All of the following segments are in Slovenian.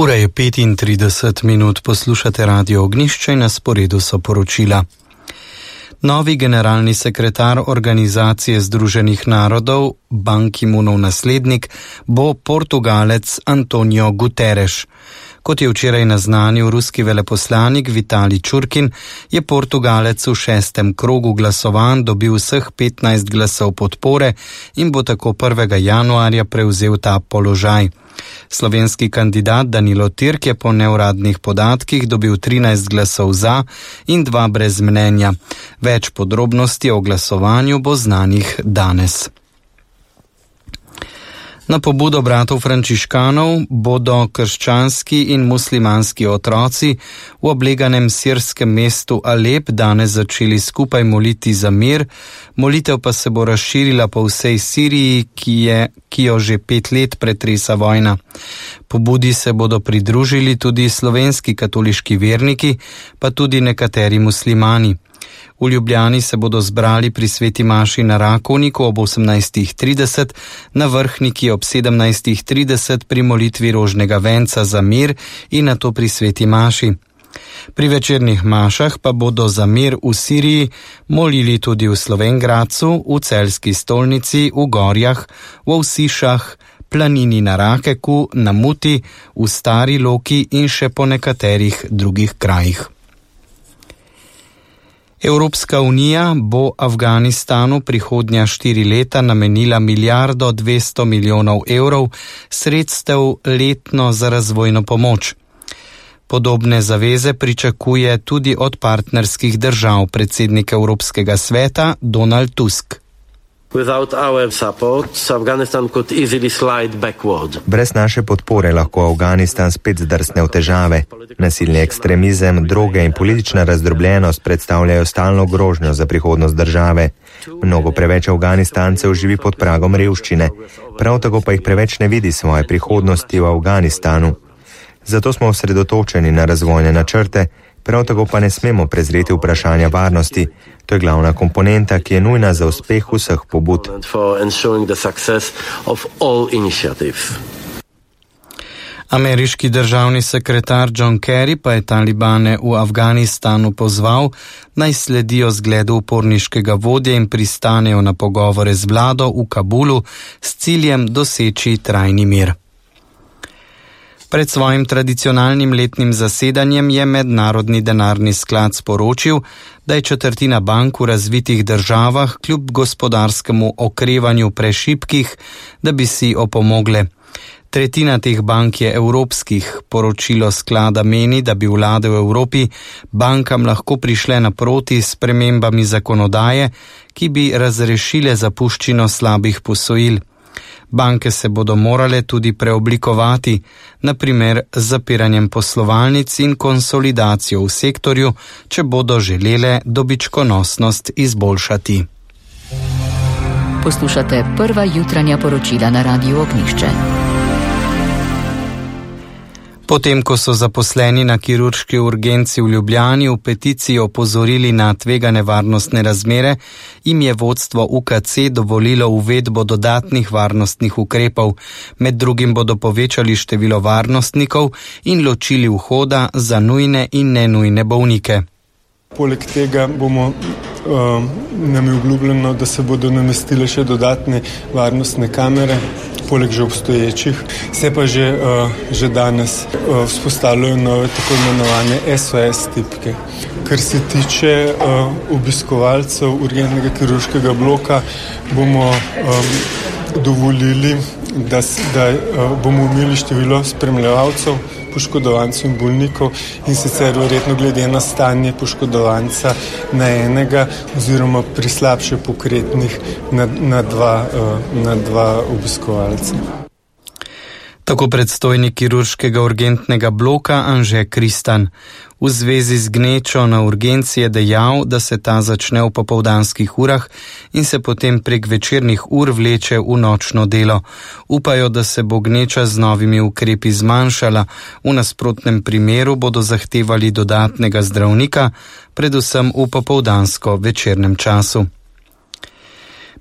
Ura je 35 minut, poslušate Radio Ognjišče in na sporedu so poročila. Novi generalni sekretar Organizacije Združenih narodov, Ban Ki-moonov naslednik, bo Portugalec Antonio Guterres. Kot je včeraj naznanil ruski veleposlanik Vitalij Čurkin, je Portugalec v 6. krogu glasovanj dobil vseh 15 glasov podpore in bo tako 1. januarja prevzel ta položaj. Slovenski kandidat Danilo Tirk je po neuradnih podatkih dobil 13 glasov za in 2 brez mnenja. Več podrobnosti o glasovanju bo znanih danes. Na pobudo bratov frančiškanov bodo krščanski in muslimanski otroci v obleganem sirskem mestu Alep danes začeli skupaj moliti za mir. Molitev pa se bo razširila po vsej Siriji, ki jo že 5 let pretresa vojna. Pobudi se bodo pridružili tudi slovenski katoliški verniki, pa tudi nekateri muslimani. V Ljubljani se bodo zbrali pri sveti maši na Rakovniku ob 18.30, na Vrhniki ob 17.30 pri molitvi rožnega venca za mir in nato pri sveti maši. Pri večernih mašah pa bodo za mir v Siriji molili tudi v Slovenj Gradcu, v Celjski stolnici, v Gorjah, v Vsišah, Planini na Rakeku, na Muti, v Stari Loki in še po nekaterih drugih krajih. Evropska unija bo Afganistanu prihodnja 4 leta namenila 1,2 milijarde evrov sredstev letno za razvojno pomoč. Podobne zaveze pričakuje tudi od partnerskih držav predsednik Evropskega sveta Donald Tusk. Brez naše podpore lahko Afganistan spet zdrsne v težave. Nasilni ekstremizem, droge in politična razdrobljenost predstavljajo stalno grožnjo za prihodnost države. Mnogo preveč Afganistancev živi pod pragom revščine, prav tako pa jih preveč ne vidi svoje prihodnosti v Afganistanu. Zato smo osredotočeni na razvojne načrte, prav tako pa ne smemo prezreti vprašanja varnosti. To je glavna komponenta, ki je nujna za uspeh vseh pobud. Ameriški državni sekretar John Kerry pa je talibane v Afganistanu pozval, naj sledijo zgledu uporniškega vodje in pristanejo na pogovore z vlado v Kabulu s ciljem doseči trajni mir. Pred svojim tradicionalnim letnim zasedanjem je Mednarodni denarni sklad sporočil, da je četrtina bank v razvitih državah kljub gospodarskemu okrevanju prešibkih, da bi si opomogle. Tretjina teh bank je evropskih. Poročilo sklada meni, da bi vlade v Evropi bankam lahko prišle naproti s spremembami zakonodaje, ki bi razrešile zapuščino slabih posojil. Banke se bodo morale tudi preoblikovati, na primer z zapiranjem poslovalnic in konsolidacijo v sektorju, če bodo želele dobičkonosnost izboljšati. Poslušate prva jutranja poročila na Radiu Ognjišče. Potem, ko so zaposleni na kirurški urgenci v Ljubljani v peticiji opozorili na tvegane varnostne razmere, jim je vodstvo UKC dovolilo uvedbo dodatnih varnostnih ukrepov. Med drugim bodo povečali število varnostnikov in ločili vhoda za nujne in nenujne bolnike. Poleg tega nam je obljubljeno, da se bodo namestile še dodatne varnostne kamere, poleg že obstoječih. Se pa že danes vzpostavljajo nove tako imenovane SOS tipke. Kar se tiče obiskovalcev urgentnega kirurškega bloka, bomo dovolili, da bomo imeli število spremljevalcev, poškodovancev in bolnikov in sicer verjetno glede na stanje poškodovanca na enega oziroma pri slabše pokretnih na dva obiskovalca. Tako predstojnik kirurškega urgentnega bloka Anže Kristan. V zvezi z gnečo na urgenci je dejal, da se ta začne v popoldanskih urah in se potem prek večernih ur vleče v nočno delo. Upajo, da se bo gneča z novimi ukrepi zmanjšala, v nasprotnem primeru bodo zahtevali dodatnega zdravnika, predvsem v popoldansko večernem času.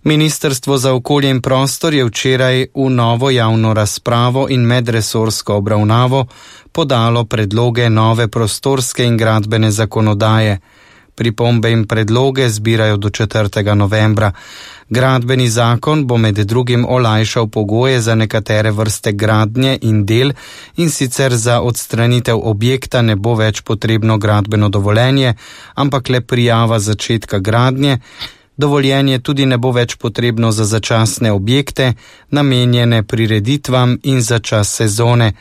Ministrstvo za okolje in prostor je včeraj v novo javno razpravo in medresorsko obravnavo podalo predloge nove prostorske in gradbene zakonodaje. Pripombe in predloge zbirajo do 4. novembra. Gradbeni zakon bo med drugim olajšal pogoje za nekatere vrste gradnje in del, in sicer za odstranitev objekta ne bo več potrebno gradbeno dovoljenje, ampak le prijava začetka gradnje. Dovoljenje tudi ne bo več potrebno za začasne objekte, namenjene prireditvam in za čas sezone.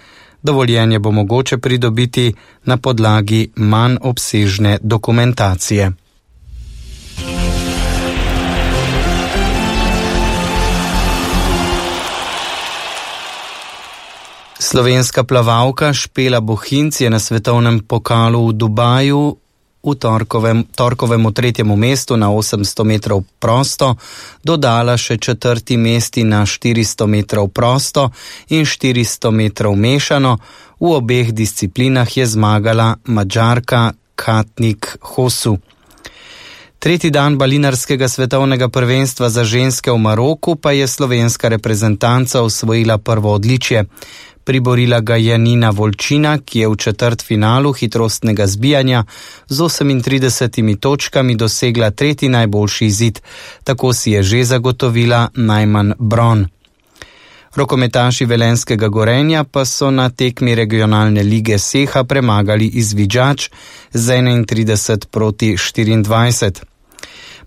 Dovoljenje bo mogoče pridobiti na podlagi manj obsežne dokumentacije. Slovenska plavalka Špela Bohinc je na svetovnem pokalu v Dubaju v torkovemu 3. mestu na 800 metrov prosto dodala še 4. mesti na 400 metrov prosto in 400 metrov mešano. V obeh disciplinah je zmagala Madžarka Katnik Hosu. Tretji dan balinarskega svetovnega prvenstva za ženske v Maroku pa je slovenska reprezentanca osvojila prvo odličje. Priborila ga je Nina Volčina, ki je v četrtfinalu hitrostnega zbijanja z 38 točkami dosegla tretji najboljši izid. Tako si je že zagotovila najmanj bron. Rokometaši Velenjskega Gorenja pa so na tekmi regionalne lige Seha premagali Izvidžač z 31-24.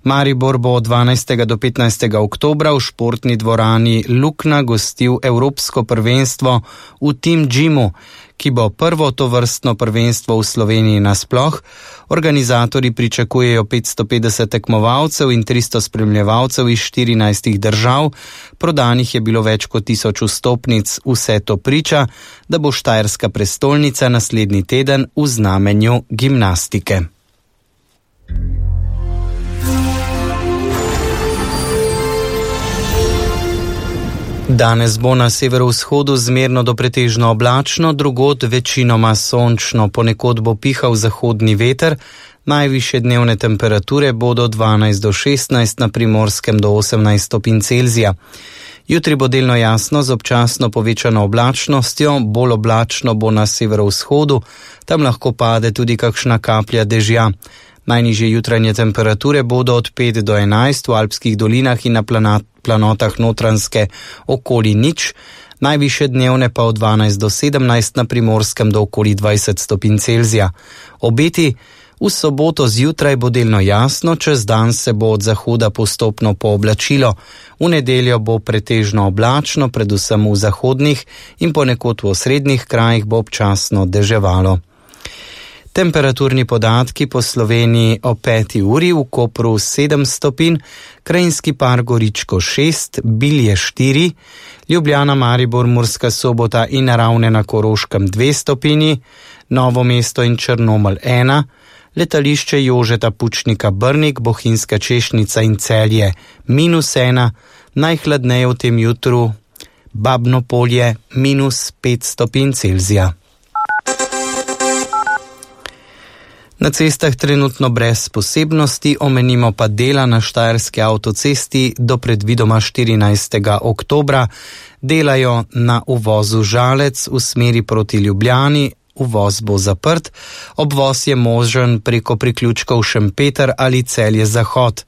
Maribor bo od 12. do 15. oktobra v športni dvorani Lukna gostil Evropsko prvenstvo v Team Gymu, ki bo prvo tovrstno prvenstvo v Sloveniji nasploh. Organizatorji pričakujejo 550 tekmovalcev in 300 spremljevalcev iz 14 držav. Prodanih je bilo več kot 1000 vstopnic. Vse to priča, da bo štajerska prestolnica naslednji teden v znamenju gimnastike. Danes bo na severovzhodu zmerno do pretežno oblačno, drugod večinoma sončno, ponekod bo pihal zahodni veter, najvišje dnevne temperature bodo 12 do 16, na Primorskem do 18 stopinj Celzija. Jutri bo delno jasno z občasno povečano oblačnostjo, bolj oblačno bo na severovzhodu, tam lahko pade tudi kakšna kaplja dežja. Najnižje jutranje temperature bodo od 5 do 11 v alpskih dolinah in na planotah Notranjske okoli 0, najvišje dnevne pa od 12 do 17, na Primorskem do okoli 20 stopinj Celzija. Obeti: v soboto zjutraj bo delno jasno, čez dan se bo od zahoda postopno pooblačilo. V nedeljo bo pretežno oblačno, predvsem v zahodnih in ponekod v osrednjih krajih bo občasno deževalo. Temperaturni podatki po Sloveniji o 5. uri: v Kopru 7 stopinj, Krajinski par Goričko 6, Bilje 4, Ljubljana, Maribor, Murska Sobota in Ravne na Koroškem 2 stopinji, Novo mesto in Črnomelj 1, letališče Jožeta Pučnika Brnik, Bohinjska Češnica in Celje -1, najhladneje v tem jutru Babno Polje -5 stopinj Celzija. Na cestah trenutno brez posebnosti, omenimo pa dela na štajerski avtocesti do predvidoma 14. oktobra. Delajo na uvozu Žalec v smeri proti Ljubljani, uvoz bo zaprt, obvoz je možen preko priključkov Šempeter ali Celje Zahod.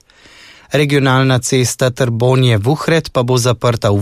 Regionalna cesta Trbonje-Vuhred pa bo zaprta v